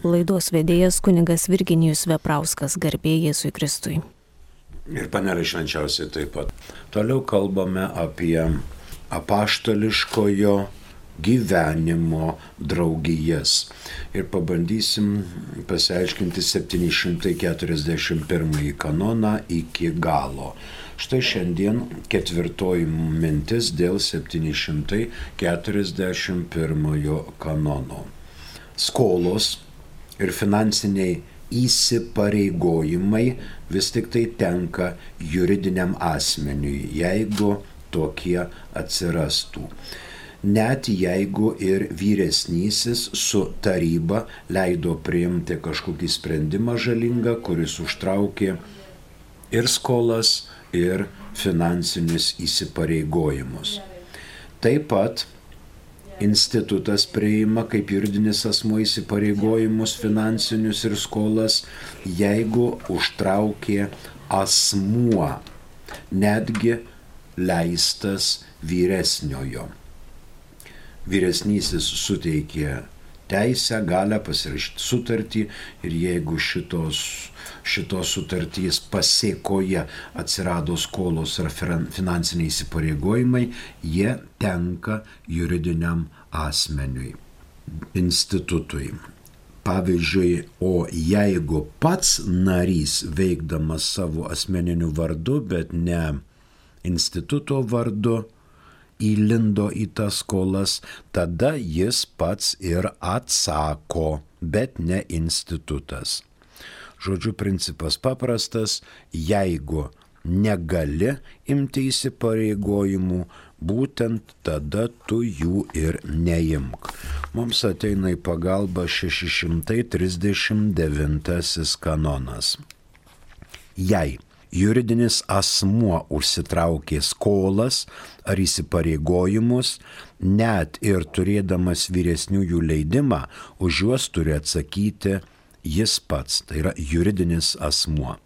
Laidos vedėjas kunigas Virginijus Veprauskas, garbė Jėzui Kristui. Ir panelė švenčiausiai taip pat. Toliau kalbame apie apaštališkojo gyvenimo draugijas. Ir pabandysim pasiaiškinti 741 kanoną iki galo. Štai šiandien ketvirtoji mintis dėl 741 kanono. Skolos ir finansiniai įsipareigojimai vis tik tai tenka juridiniam asmeniui, jeigu tokie atsirastų. Net jeigu ir vyresnysis su taryba leido priimti kažkokį sprendimą žalingą, kuris užtraukė ir skolas, ir finansinius įsipareigojimus. Taip pat institutas priima kaip juridinis asmuo įsipareigojimus finansinius ir skolas, jeigu užtraukė asmuo, netgi leistas vyresniojo. Vyresnysis suteikė teisę, galią pasirašyti sutartį ir jeigu šitos sutartys pasėkoje atsirado skolos ar finansiniai įsipareigojimai, jie tenka juridiniam asmeniui, institutui. Pavyzdžiui, o jeigu pats narys veikdamas savo asmeniniu vardu, bet ne instituto vardu, įlindo į tas skolas, tada jis pats ir atsako, bet ne institutas. Žodžiu, principas paprastas, jeigu negali imti įsipareigojimų, būtent tada tu jų ir neimk. Mums ateina į pagalbą 639 kanonas. Jei juridinis asmuo užsitraukė skolas ar įsipareigojimus, net ir turėdamas vyresniųjų leidimą, už juos turi atsakyti jis pats, tai yra juridinis asmuo.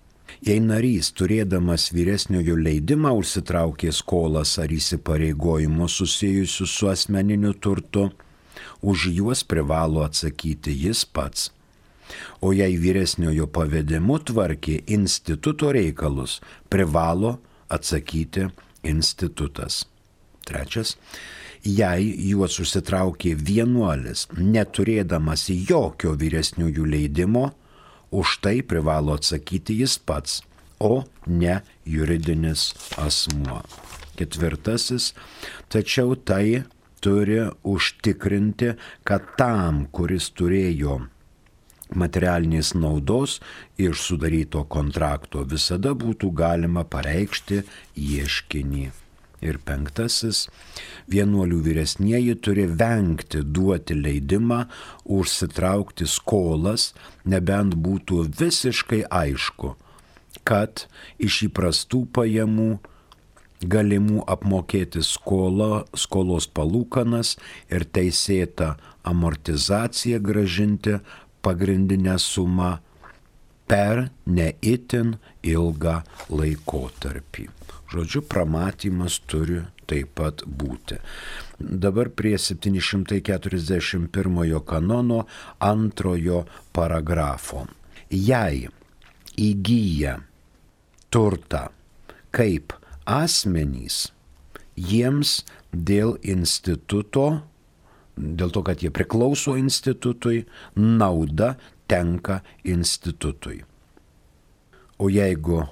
Jei narys, turėdamas vyresniojo leidimą, užsitraukė skolas ar įsipareigojimus susijusius su asmeniniu turtu, už juos privalo atsakyti jis pats. O jei vyresniojo pavedimu tvarkė instituto reikalus, privalo atsakyti institutas. Trečias. Jei juos užsitraukė vienuolis, neturėdamas jokio vyresniųjų leidimo, už tai privalo atsakyti jis pats, o ne juridinis asmuo. Ketvirtasis. Tačiau tai turi užtikrinti, kad tam, kuris turėjo materialinės naudos iš sudaryto kontrakto, visada būtų galima pareikšti ieškinį. Ir penktasis. Vienuolių vyresnieji turi vengti duoti leidimą užsitraukti skolas, nebent būtų visiškai aišku, kad iš įprastų pajamų galimų apmokėti skolos palūkanas ir teisėtą amortizaciją grąžinti pagrindinę sumą per ne itin ilgą laikotarpį. Žodžiu, pramatymas turi taip pat būti. Dabar prie 741 kanono antrojo paragrafo. Jei įgyja turtą kaip asmenys, jiems dėl instituto, dėl to, kad jie priklauso institutui, nauda tenka institutui. O jeigu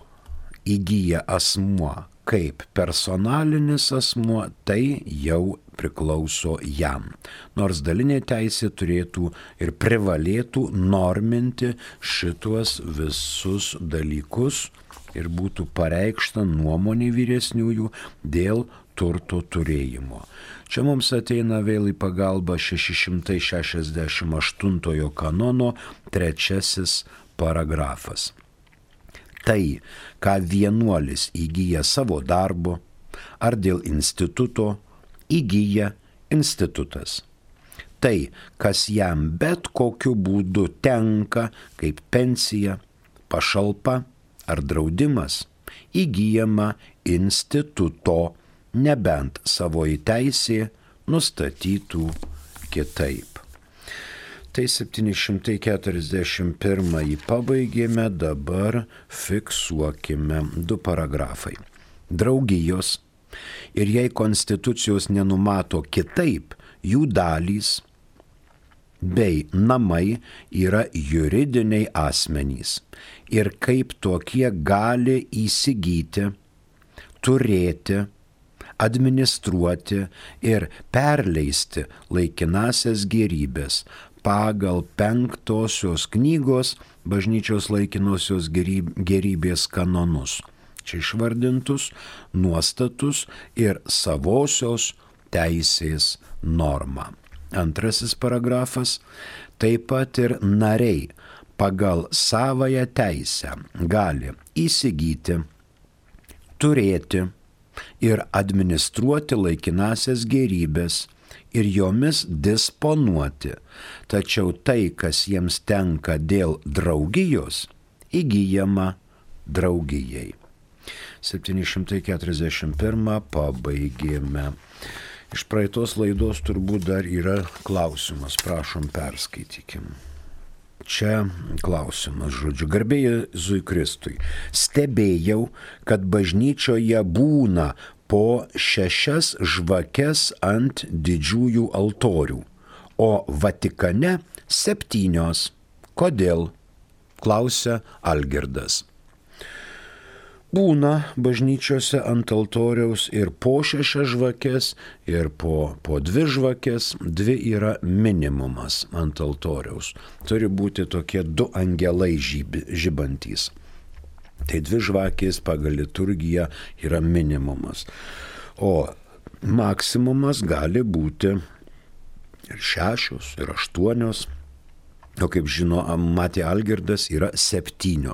įgyja asmuo kaip personalinis asmuo, tai jau priklauso jam. Nors dalinė teisė turėtų ir privalėtų norminti šituos visus dalykus ir būtų pareikšta nuomonė vyresniųjų dėl turto turėjimo. Čia mums ateina vėl į pagalbą 668 kanono 3 paragrafas. Tai, ką vienuolis įgyja savo darbu ar dėl instituto, įgyja institutas. Tai, kas jam bet kokiu būdu tenka kaip pensija, pašalpa ar draudimas, įgyjama instituto, nebent savoji teisė nustatytų kitaip. Tai 741 pabaigėme, dabar fiksuokime 2 paragrafai. Draugijos ir jei konstitucijos nenumato kitaip, jų dalys bei namai yra juridiniai asmenys ir kaip tokie gali įsigyti, turėti, administruoti ir perleisti laikinasias gėrybės pagal 5 knygos bažnyčios laikinosios gėrybės kanonus. Čia išvardintus nuostatus ir savosios teisės normą. 2 paragrafas. Taip pat ir nariai pagal savąją teisę gali įsigyti, turėti ir administruoti laikinasias gėrybės ir jomis disponuoti, tačiau tai, kas jiems tenka dėl draugijos, įgyjama draugijai. 741 pabaigėme. Iš praeitos laidos turbūt dar yra klausimas, prašom perskaitykim. Čia klausimas, žodžiu, garbė Jėzui Kristui. Stebėjau, kad bažnyčioje būna po 6 žvakes ant didžiųjų altorių, o Vatikane 7. Kodėl? Klausia Algirdas. Būna bažnyčiose ant altoriaus ir po 6 žvakes, ir po 2 žvakes, 2 yra minimumas ant altoriaus. Turi būti tokie 2 angelai žibantys. Tai 2 žvakės pagal liturgiją yra minimumas. O maksimumas gali būti ir 6, ir 8. O kaip žino, matė Algirdas, yra 7.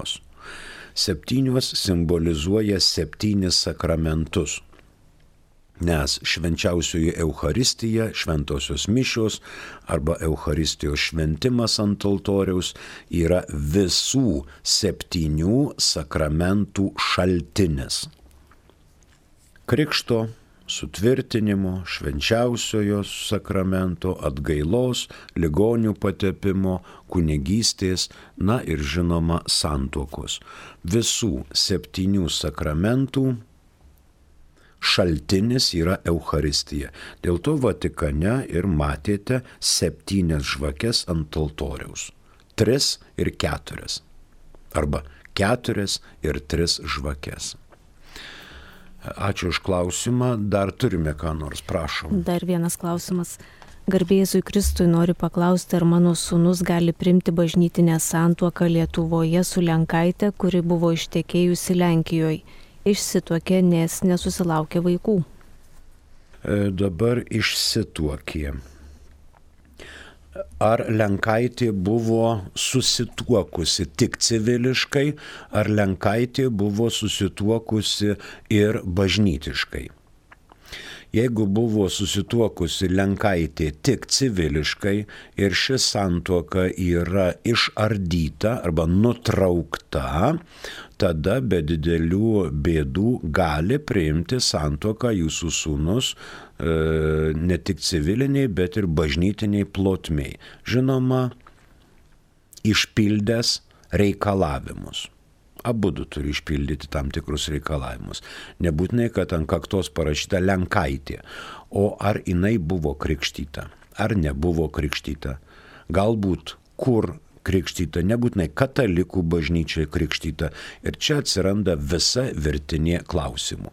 7 simbolizuoja 7 sakramentus, nes švenčiausioji Eucharistija, šventosios mišios arba Eucharistijos šventimas ant altoriaus yra visų 7 sakramentų šaltinis. Krikšto, sutvirtinimo, švenčiausiojo sakramento, atgailos, ligonių patepimo, kunigystės, na ir žinoma santuokos. Visų 7 sakramentų šaltinis yra Eucharistija. Dėl to Vatikane ir matėte 7 žvakes ant altoriaus. 3 ir 4. Arba 4 ir 3 žvakes. Ačiū už klausimą. Dar turime ką nors, prašom. Dar vienas klausimas. Garbė Jėzui Kristui, noriu paklausti, ar mano sūnus gali priimti bažnytinę santuoką Lietuvoje su Lenkaite, kuri buvo ištekėjusi Lenkijoje. Išsituokė, nes nesusilaukė vaikų. Dabar išsituokė. Ar Lenkaitė buvo susituokusi tik civiliškai, ar Lenkaitė buvo susituokusi ir bažnytiškai? Jeigu buvo susituokusi Lenkaitė tik civiliškai ir ši santuoka yra išardyta arba nutraukta, tada be didelių bėdų gali priimti santuoką jūsų sūnus ne tik civiliniai, bet ir bažnytiniai plotmiai. Žinoma, išpildęs reikalavimus. Abudu turi išpildyti tam tikrus reikalavimus. Nebūtinai, kad ant kaktos parašyta Lenkaitė, o ar jinai buvo krikštyta, ar nebuvo krikštyta. Galbūt kur krikštyta, nebūtinai katalikų bažnyčiai krikštyta. Ir čia atsiranda visa virtinė klausimų.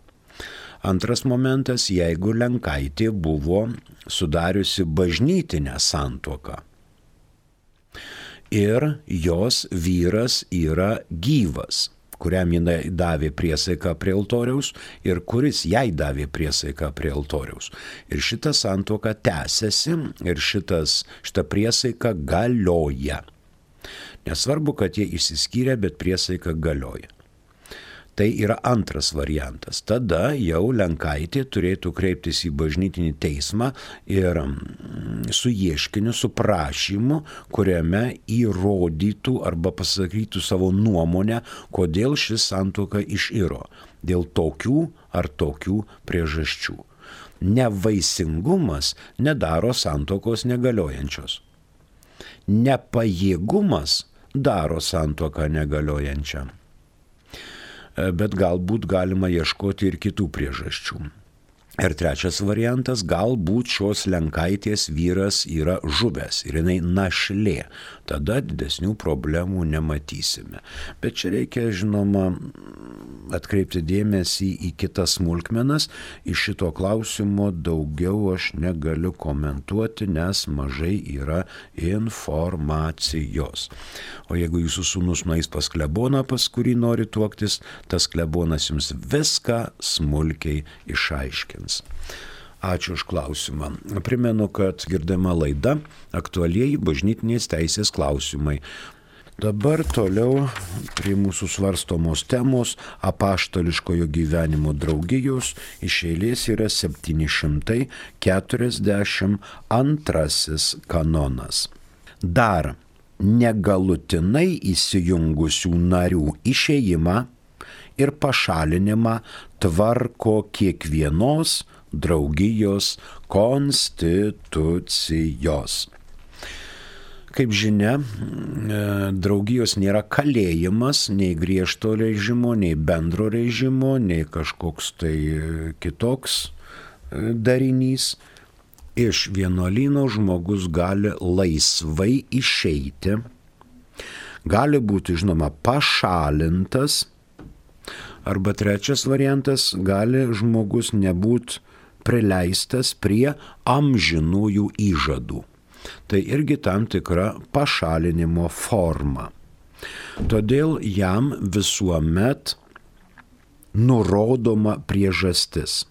Antras momentas, jeigu Lenkaitė buvo sudariusi bažnytinę santuoką ir jos vyras yra gyvas, kuriam jinai davė priesaiką prie altoriaus ir kuris jai davė priesaiką prie altoriaus. Ir šita santuoka tęsiasi ir šita priesaika galioja. Nesvarbu, kad jie išsiskyrė, bet priesaika galioja. Tai yra antras variantas. Tada jau Lenkaitė turėtų kreiptis į bažnytinį teismą ir su ieškiniu, su prašymu, kuriame įrodytų arba pasakytų savo nuomonę, kodėl ši santuoka iširo. Dėl tokių ar tokių priežasčių. Nevaisingumas nedaro santuokos negaliojančios. nepajėgumas daro santuoką negaliojančią. Bet galbūt galima ieškoti ir kitų priežasčių. Ir trečias variantas, galbūt šios lenkaitės vyras yra žuvęs ir jinai našlė. Tada didesnių problemų nematysime. Bet čia reikia, žinoma, atkreipti dėmesį į kitas smulkmenas. Iš šito klausimo daugiau aš negaliu komentuoti, nes mažai yra informacijos. O jeigu jūsų sūnus nueis pas kleboną, pas kurį nori tuoktis, tas klebonas jums viską smulkiai išaiškins. Ačiū už klausimą. Primenu, kad girdima laida aktualieji bažnytinės teisės klausimai. Dabar toliau prie mūsų svarstomos temos apaštališkojo gyvenimo draugijos iš eilės yra 742 kanonas. Dar negalutinai įsijungusių narių išėjimą ir pašalinimą tvarko kiekvienos draugijos konstitucijos. Kaip žinia, draugijos nėra kalėjimas, nei griežto režimo, nei bendro režimo, nei kažkoks tai kitoks darinys. Iš vienuolyno žmogus gali laisvai išeiti, gali būti, žinoma, pašalintas, arba trečias variantas, gali žmogus nebūt prileistas prie amžinųjų įžadų. Tai irgi tam tikra pašalinimo forma. Todėl jam visuomet nurodoma priežastis.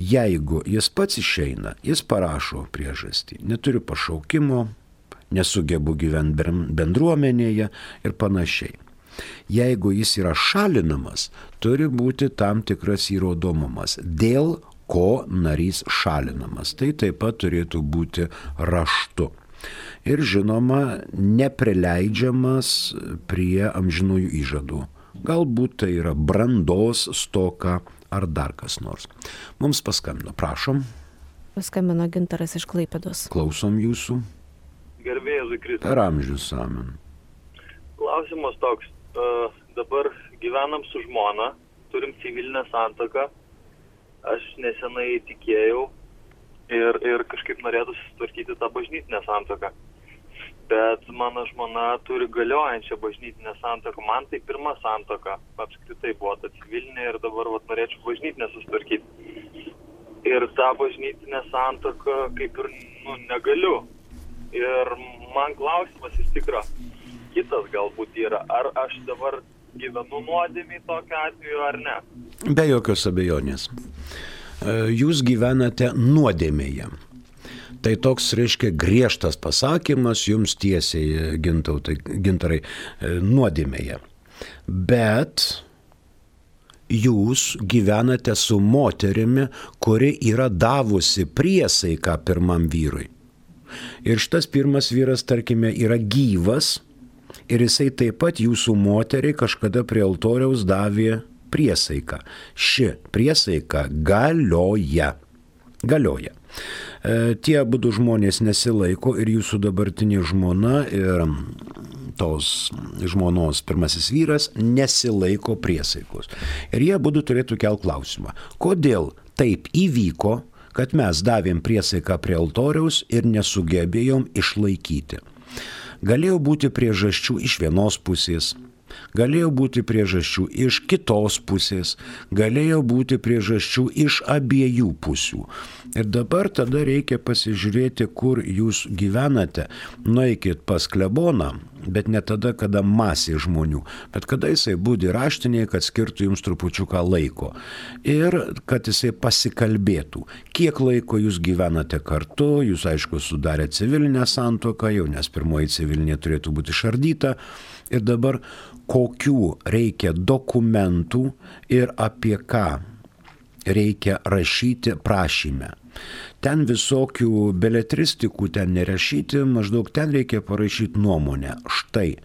Jeigu jis pats išeina, jis parašo priežastį. Neturiu pašaukimo, nesugebu gyventi bendruomenėje ir panašiai. Jeigu jis yra šalinamas, turi būti tam tikras įrodomumas, dėl ko narys šalinamas. Tai taip pat turėtų būti raštu. Ir žinoma, neprileidžiamas prie amžinųjų įžadų. Galbūt tai yra brandos stoka ar dar kas nors. Mums paskambino, prašom. Paskambino Gintaras iš Klaipėdos. Klausom jūsų. Garbė Jėzui Kristui. Per amžius, amen. Klausimas toks. Dabar gyvenam su žmona, turim civilinę santuoką. Aš nesenai tikėjau ir kažkaip norėtų susitvarkyti tą bažnytinę santuoką. Bet mano žmona turi galiojančią bažnytinę santuoką. Man tai pirma santuoka. Apskritai buvo ta civilinė ir dabar norėčiau bažnytinę susitvarkyti. Ir tą bažnytinę santuoką kaip ir negaliu. Ir man klausimas iš tikro kitas galbūt yra, ar aš dabar gyvenu nuodėmėj tokiu atveju ar ne? Be jokios abejonės. Jūs gyvenate nuodėmėje. Tai toks, reiškia, griežtas pasakymas jums tiesiai, Gintarai, nuodėmėje. Bet jūs gyvenate su moterimi, kuri yra davusi priesaiką pirmam vyrui. Ir šitas pirmas vyras, tarkime, yra gyvas, ir jisai taip pat jūsų moteriai kažkada prie altoriaus davė priesaiką. Ši priesaika galioja. Tie abudu žmonės nesilaiko ir jūsų dabartinė žmona ir tos žmonos pirmasis vyras nesilaiko priesaikos. Ir jie abudu turėtų kelt klausimą, kodėl taip įvyko, kad mes davėm priesaiką prie altoriaus ir nesugebėjom išlaikyti. Galėjo būti priežasčių iš vienos pusės, galėjo būti priežasčių iš kitos pusės, galėjo būti priežasčių iš abiejų pusių. Ir dabar tada reikia pasižiūrėti, kur jūs gyvenate. Nueikit pas kleboną, bet ne tada, kada masė žmonių, bet kada jisai būdi raštinėje, kad skirtų jums trupučiuką laiko. Ir kad jisai pasikalbėtų, kiek laiko jūs gyvenate kartu, jūs aišku sudarė civilinę santuoką, jau nes pirmoji civilinė turėtų būti išardyta. Ir dabar kokių reikia dokumentų ir apie ką reikia rašyti prašyme. Ten visokių beletristikų ten nerašyti, maždaug ten reikia parašyti nuomonę. Štai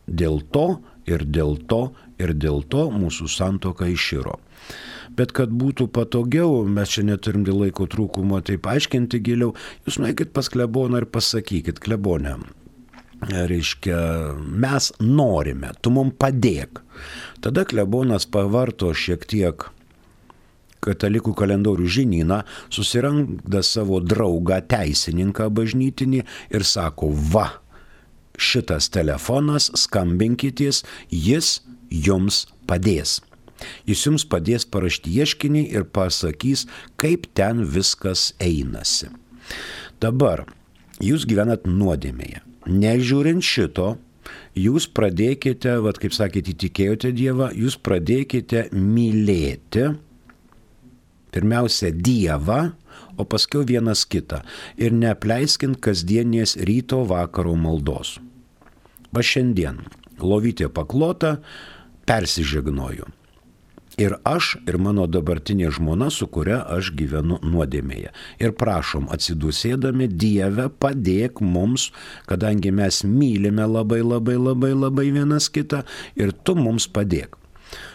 dėl to ir dėl to ir dėl to mūsų santuoka iširo. Bet kad būtų patogiau, mes čia neturim dėl laiko trūkumo taip aiškinti giliau, jūs nueikit pas kleboną ir pasakykit, klebonę, reiškia, mes norime, tu mums padėk. Tada klebonas pavarto šiek tiek katalikų kalendorių žinyną, susiranda savo draugą teisininką bažnytinį ir sako, va, šitas telefonas, skambinkitės, jis jums padės. Jis jums padės parašyti ieškinį ir pasakys, kaip ten viskas einasi. Dabar jūs gyvenat nuodėmėje. Nežiūrint šito, jūs pradėkite, kaip sakėte, įtikėjote Dievą, jūs pradėkite mylėti pirmiausia Dievą, o paskiau vienas kitą. Ir neapleiskint kasdienės ryto vakaro maldos. Va šiandien lovytė paklota, persižegnoju. Ir aš, ir mano dabartinė žmona, su kuria aš gyvenu nuodėmėje. Ir prašom, atsidusėdami, Dieve, padėk mums, kadangi mes mylime labai vienas kitą, ir tu mums padėk.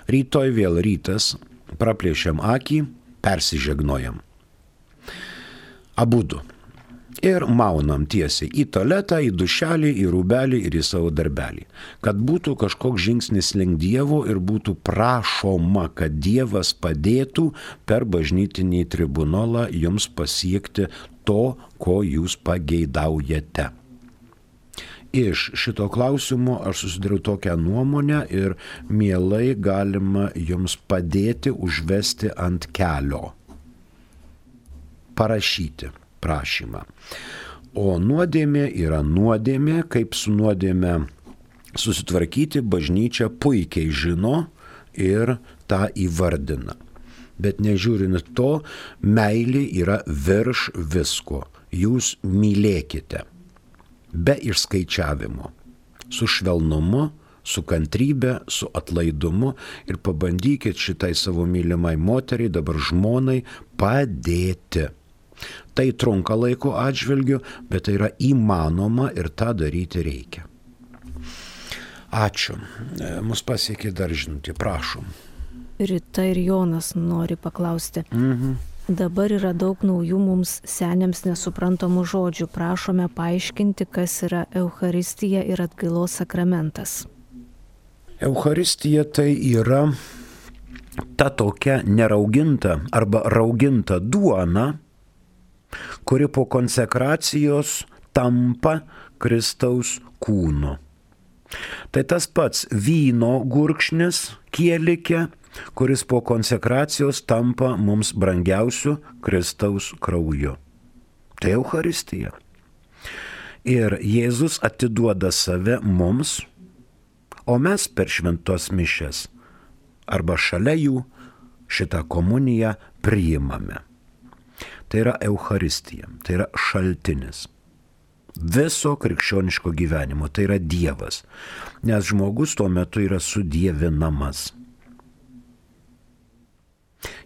Rytoj vėl rytas, praplėšiam akį, persižegnojam. Abudu. Ir maunam tiesiai į tualetą, į dušelį, į rūbelį ir į savo darbelį. Kad būtų kažkoks žingsnis link Dievo ir būtų prašoma, kad Dievas padėtų per bažnytinį tribunolą jums pasiekti to, ko jūs pageidaujate. Iš šito klausimo aš susidariau tokią nuomonę ir mielai galima jums padėti užvesti ant kelio. Parašyti prašymą. O nuodėmė yra nuodėmė, kaip su nuodėmė susitvarkyti bažnyčia puikiai žino ir tą įvardina. Bet nežiūrint to, meilė yra virš visko. Jūs mylėkite be išskaičiavimo, su švelnumu, su kantrybė, su atlaidumu ir pabandykit šitai savo mylimai moteriai, dabar žmonai, padėti. Tai trunka laiko atžvilgiu, bet tai yra įmanoma ir tą daryti reikia. Ačiū. Mus pasiekė dar žinutė, prašom. Rita ir Jonas nori paklausti. Dabar yra daug naujų mums seniams nesuprantamų žodžių. Prašome paaiškinti, kas yra Eucharistija ir atgailos sakramentas. Eucharistija tai yra ta tokia nerauginta arba rauginta duona, kuri po konsekracijos tampa Kristaus kūnu. Tai tas pats vyno gurkšnis kėlikė, kuris po konsekracijos tampa mums brangiausiu Kristaus krauju. Tai Eucharistija. Ir Jėzus atiduoda save mums, o mes per šventos mišias arba šalia jų šitą komuniją priimame. Tai yra Eucharistija, tai yra šaltinis viso krikščioniško gyvenimo, tai yra Dievas, nes žmogus tuo metu yra sudievinamas.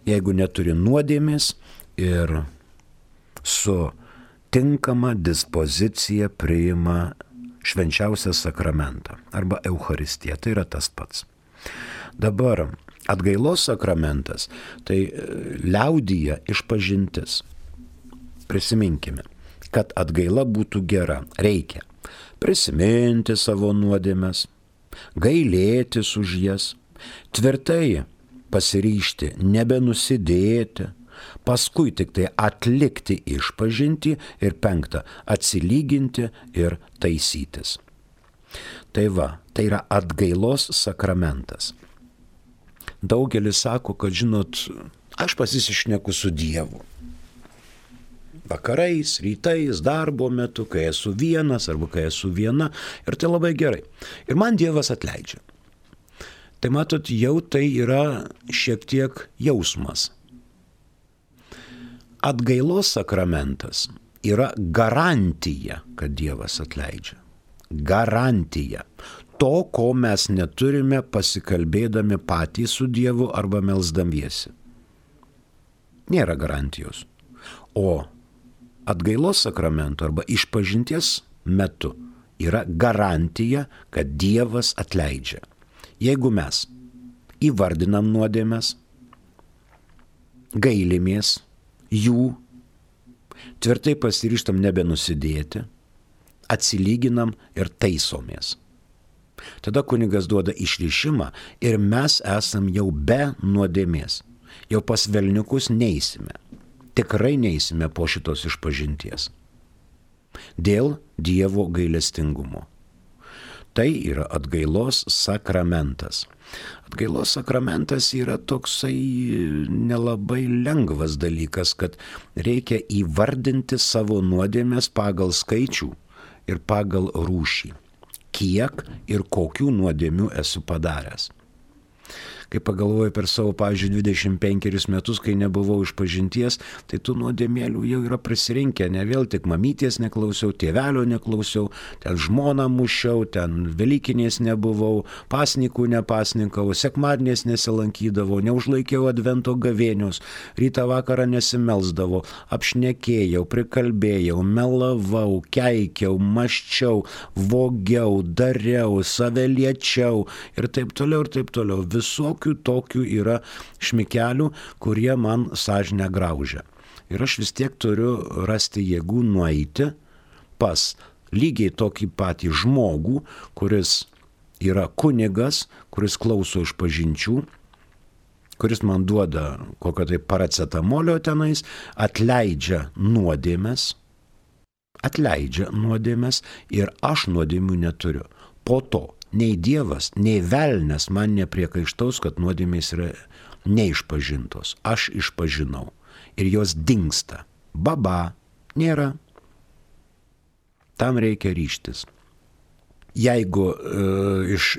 Jeigu neturi nuodėmės ir su tinkama dispozicija priima švenčiausią sakramentą arba Eucharistiją, tai yra tas pats. Dabar atgailos sakramentas, tai liaudyje išpažintis. Prisiminkime, kad atgaila būtų gera, reikia prisiminti savo nuodėmes, gailėtis už jas, tvirtai pasiryžti, nebenusidėti, paskui tik tai atlikti išpažintį ir 5, atsilyginti ir taisytis. Tai va, tai yra atgailos sakramentas. Daugelis sako, kad žinot, aš pasišneku su Dievu. Vakarais, rytais, darbo metu, kai esu vienas arba kai esu viena, ir tai labai gerai. Ir man Dievas atleidžia. Tai matot, jau tai yra šiek tiek jausmas. Atgailos sakramentas yra garantija, kad Dievas atleidžia. Garantija. To, ko mes neturime pasikalbėdami patys su Dievu arba melsdamiesi. Nėra garantijos. O atgailos sakramento arba išpažinties metu yra garantija, kad Dievas atleidžia. Jeigu mes įvardinam nuodėmes, gailimės jų, tvirtai pasiryžtam nebenusidėti, atsilyginam ir taisomės. Tada kunigas duoda išrišimą ir mes esam jau be nuodėmės. Jau pas velniukus neisime. Tikrai neisime po šitos išpažinties. Dėl Dievo gailestingumo. Tai yra atgailos sakramentas. Atgailos sakramentas yra toksai nelabai lengvas dalykas, kad reikia įvardinti savo nuodėmes pagal skaičių ir pagal rūšį. Kiek ir kokių nuodėmių esu padaręs. Kai pagalvoju per savo, pavyzdžiui, 25 metus, kai nebuvau išpažinties, tai tų nuodėmėlių jau yra prisirinkę. Ne vėl tik mamytės neklausiau, tėvelio neklausiau, ten žmoną mušiau, ten velykinės nebuvau, pasnikų nepasninkau, sekmadienės nesilankydavau, neužlaikiau advento gavėnios, rytą vakarą nesimelsdavau, apšnekėjau, prikalbėjau, melavau, keikiau, maščiau, vogiau, dariau, save liečiau ir taip toliau ir taip toliau. Visokių tokių yra šmikelių, kurie man sąžinę graužia. Ir aš vis tiek turiu rasti jėgų nueiti pas lygiai tokį patį žmogų, kuris yra kunigas, kuris klauso išpažinčių, kuris man duoda kokio tai paracetamolio tenais, atleidžia nuodėmes ir aš nuodėmių neturiu. Po to nei Dievas, nei velnias man nepriekaištaus, kad nuodėmės yra neišpažintos. Aš išpažinau ir jos dingsta. Baba, nėra. Tam reikia ryžtis. Jeigu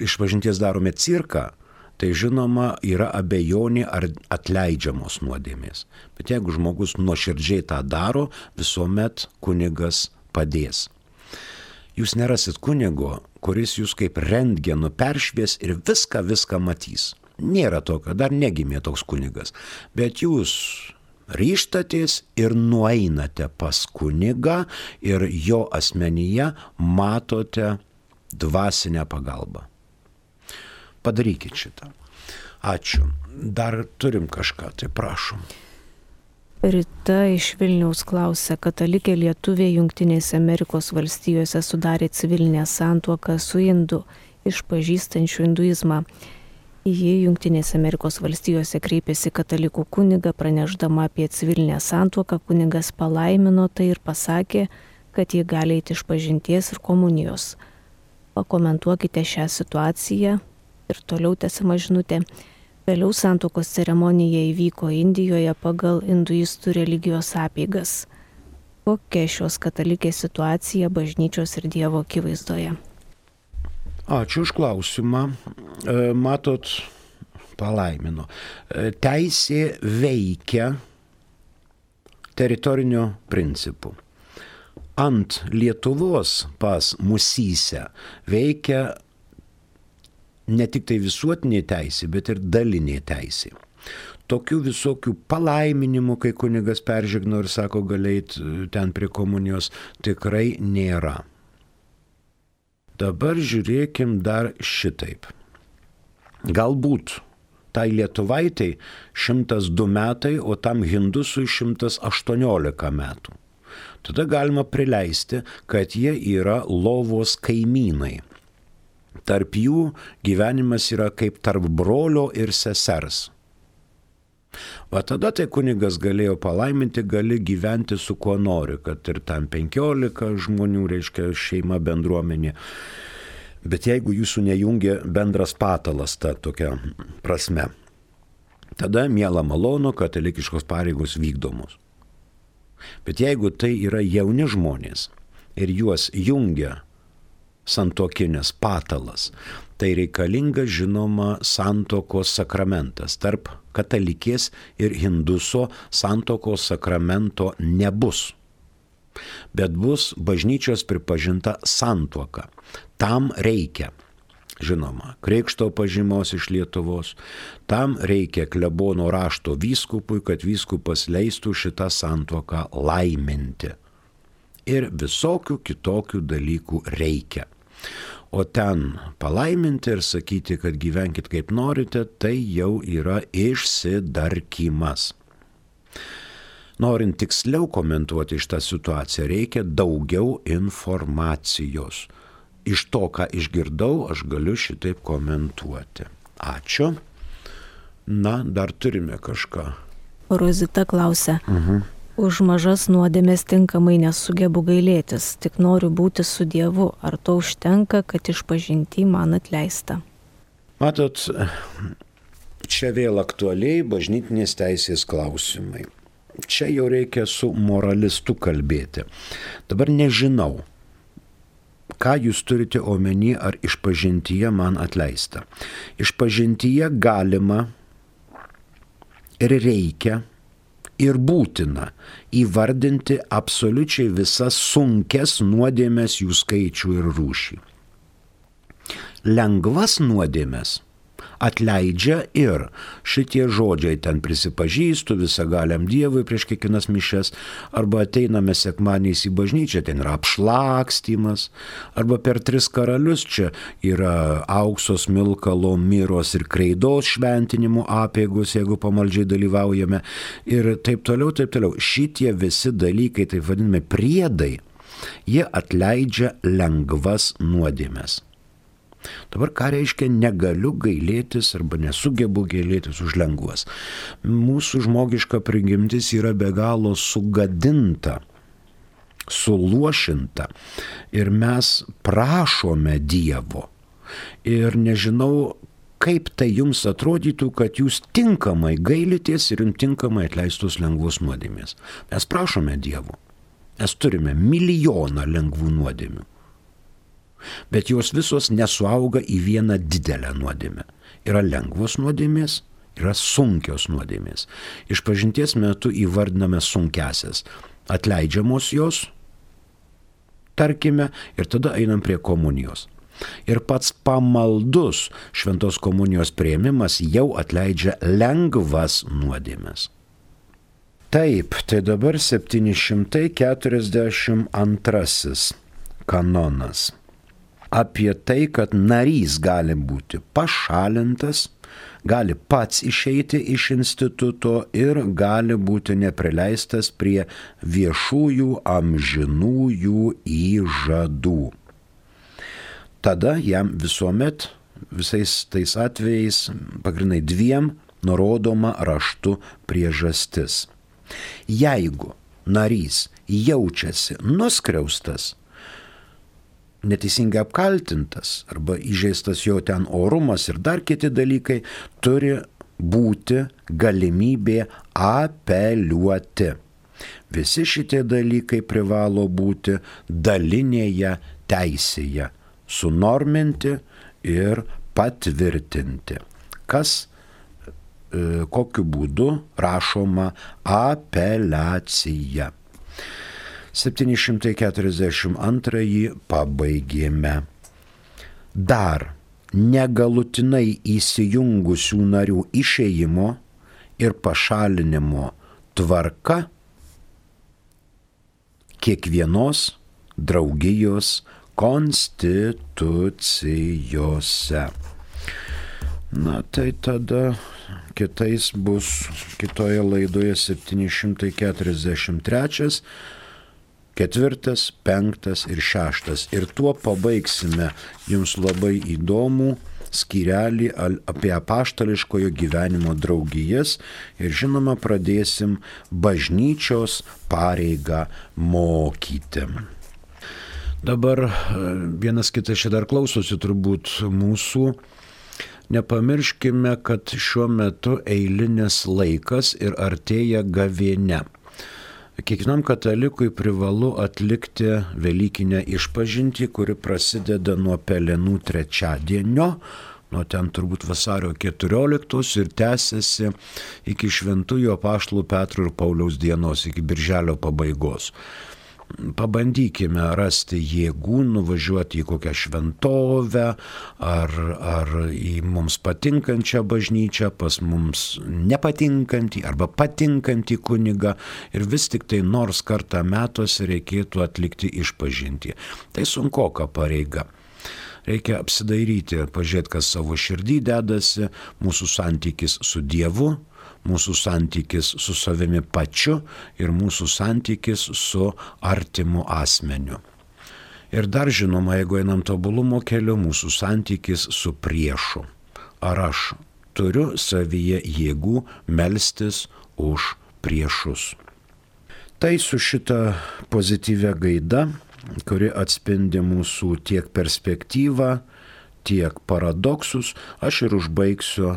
išpažinties darome cirką, tai žinoma yra abejonė ar atleidžiamos nuodėmės. Bet jeigu žmogus nuoširdžiai tą daro, visuomet kunigas padės. Jūs nerasit kunigo, kuris jūs kaip rentgenu peršvies ir viską matys. Nėra tokio, dar negimė toks kunigas. Bet jūs ryžtatės ir nueinate pas kunigą ir jo asmenyje matote dvasinę pagalbą. Padarykit šitą. Ačiū. Dar turim kažką, tai prašom. Rita iš Vilniaus klausia, katalikė lietuvė Jungtinėse Amerikos valstijose sudarė civilinę santuoką su indu, išpažįstančiu hinduizmą. Ji Jungtinėse Amerikos valstijose kreipėsi katalikų kunigą, pranešdama apie civilinę santuoką, kunigas palaimino tai ir pasakė, kad ji gali eiti išpažinties ir komunijos. Pakomentuokite šią situaciją ir toliau tęsiama žinutė. Vėliau santuokos ceremonija įvyko Indijoje pagal hinduistų religijos apeigas. Kokia šios katalikės situacija bažnyčios ir Dievo akivaizdoje? Ačiū už klausimą. Matot, palaimino. Teisė veikia teritoriniu principu. Ant Lietuvos pas Musyse veikia ne tik tai visuotinė teisė, bet ir dalinė teisė. Tokių visokių palaiminimų, kai kunigas peržegno ir sako galėjt ten prie komunijos, tikrai nėra. Dabar žiūrėkim dar šitaip. Galbūt tai lietuvaitai 102 metai, o tam hindusui 118 metų. Tada galima prileisti, kad jie yra lovos kaimynai. Tarp jų gyvenimas yra kaip tarp brolio ir sesers. Va tada tai kunigas galėjo palaiminti, gali gyventi su kuo nori, kad ir tam 15 žmonių, reiškia šeima, bendruomenė. Bet jeigu jūsų nejungia bendras patalas, ta tokia prasme, tada miela malonu, katalikiškos pareigos vykdomos. Bet jeigu tai yra jauni žmonės ir juos jungia santuokinės patalas, tai reikalinga žinoma santuokos sakramentas. Tarp katalikės ir hinduso santuokos sakramento nebus, bet bus bažnyčios pripažinta santuoka. Tam reikia, žinoma, krikšto pažymos iš Lietuvos, tam reikia klebono rašto vyskupui, kad vyskupas leistų šitą santuoką laiminti. ir visokių kitokių dalykų reikia. O ten palaiminti ir sakyti, kad gyvenkit kaip norite, tai jau yra išsidarkymas. Norint tiksliau komentuoti šitą situaciją, reikia daugiau informacijos. Iš to, ką išgirdau, aš galiu šitaip komentuoti. Ačiū. Na, dar turime kažką. Rozita klausia. Už mažas nuodėmės tinkamai nesugebu gailėtis, tik noriu būti su Dievu. Ar to užtenka, kad išpažinty man atleista? Matot, čia vėl aktualiai bažnytinės teisės klausimai. Čia jau reikia su moralistu kalbėti. Dabar nežinau, ką jūs turite omeny, ar išpažintyje man atleista. Išpažintyje galima ir reikia ir būtina įvardinti absoliučiai visas sunkes nuodėmes, jų skaičių ir rūšį. Lengvas nuodėmes atleidžia ir šitie žodžiai ten prisipažįstu visagaliam Dievui prieš kiekvienas mišias, arba ateiname sekmadieniais į bažnyčią, ten yra apšlakstymas, arba per 3 karalius čia yra aukso, smilkalo, miros ir kreidos šventinimo apeigos, jeigu pamaldžiai dalyvaujame, ir taip toliau, taip toliau. Šitie visi dalykai, taip vadinami priedai, jie atleidžia lengvas nuodėmes. Dabar ką reiškia negaliu gailėtis arba nesugebu gailėtis už lengvas? Mūsų žmogiška prigimtis yra be galo sugadinta, suluošinta ir mes prašome Dievo. Ir nežinau, kaip tai jums atrodytų, kad jūs tinkamai gailitės ir jums tinkamai atleistos lengvos nuodėmės. Mes prašome Dievo. Mes turime milijoną lengvų nuodėmių. Bet jos visos nesuauga į vieną didelę nuodėmę. Yra lengvos nuodėmės, yra sunkios nuodėmės. Išpažinties metu įvardiname sunkiasias. Atleidžiamos jos, tarkime, ir tada einam prie komunijos. Ir pats pamaldus šventos komunijos priėmimas jau atleidžia lengvas nuodėmes. Taip, tai dabar 742 kanonas. Apie tai, kad narys gali būti pašalintas, gali pats išeiti iš instituto ir gali būti neprileistas prie viešųjų amžinųjų įžadų. Tada jam visuomet, visais tais atvejais, pagrindai 2 nurodoma raštu priežastis. Jeigu narys jaučiasi nuskriaustas, neteisingai apkaltintas arba įžeistas jo ten orumas ir dar kiti dalykai, turi būti galimybė apeliuoti. Visi šitie dalykai privalo būti dalinėje teisėje, sunorminti ir patvirtinti. Kas, kokiu būdu rašoma apeliacija. 742 pabaigėme. Dar negalutinai įsijungusių narių išėjimo ir pašalinimo tvarka kiekvienos draugijos konstitucijose. Na tai tada kitoje laidoje 743, 4., 5. ir 6. Ir tuo pabaigsime jums labai įdomų skyrelį apie apaštališkojo gyvenimo draugijas ir žinoma pradėsim bažnyčios pareigą mokyti. Dabar vienas kitas čia dar klausosi turbūt mūsų. Nepamirškime, kad šiuo metu eilinis laikas ir artėja gavėnia. Kiekvienam katalikui privalu atlikti Velykinę išpažintį, kuri prasideda nuo Pelenų trečiadienio, nuo ten turbūt vasario 14 ir tęsiasi iki šventųjų apaštalų Petro ir Pauliaus dienos, iki birželio pabaigos. pabandykime rasti jėgų nuvažiuoti į kokią šventovę ar į mums patinkančią bažnyčią, pas mums nepatinkantį arba patinkantį kunigą ir vis tik tai nors kartą metuose reikėtų atlikti išpažintį. Tai sunkoka pareiga. Reikia apsidairyti, pažiūrėti, kas savo širdį dedasi, mūsų santykis su Dievu, mūsų santykis su savimi pačiu ir mūsų santykis su artimu asmeniu. Ir dar žinoma, jeigu einam tobulumo keliu, mūsų santykis su priešu. Ar aš turiu savyje jėgų melstis už priešus? Tai su šita pozityvia gaida, kuri atspindi mūsų tiek perspektyvą, tiek paradoksus, aš ir užbaigsiu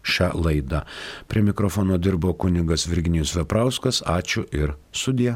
šią laidą. Prie mikrofono dirbo kunigas Virginijus Veprauskas. Ačiū ir sudie.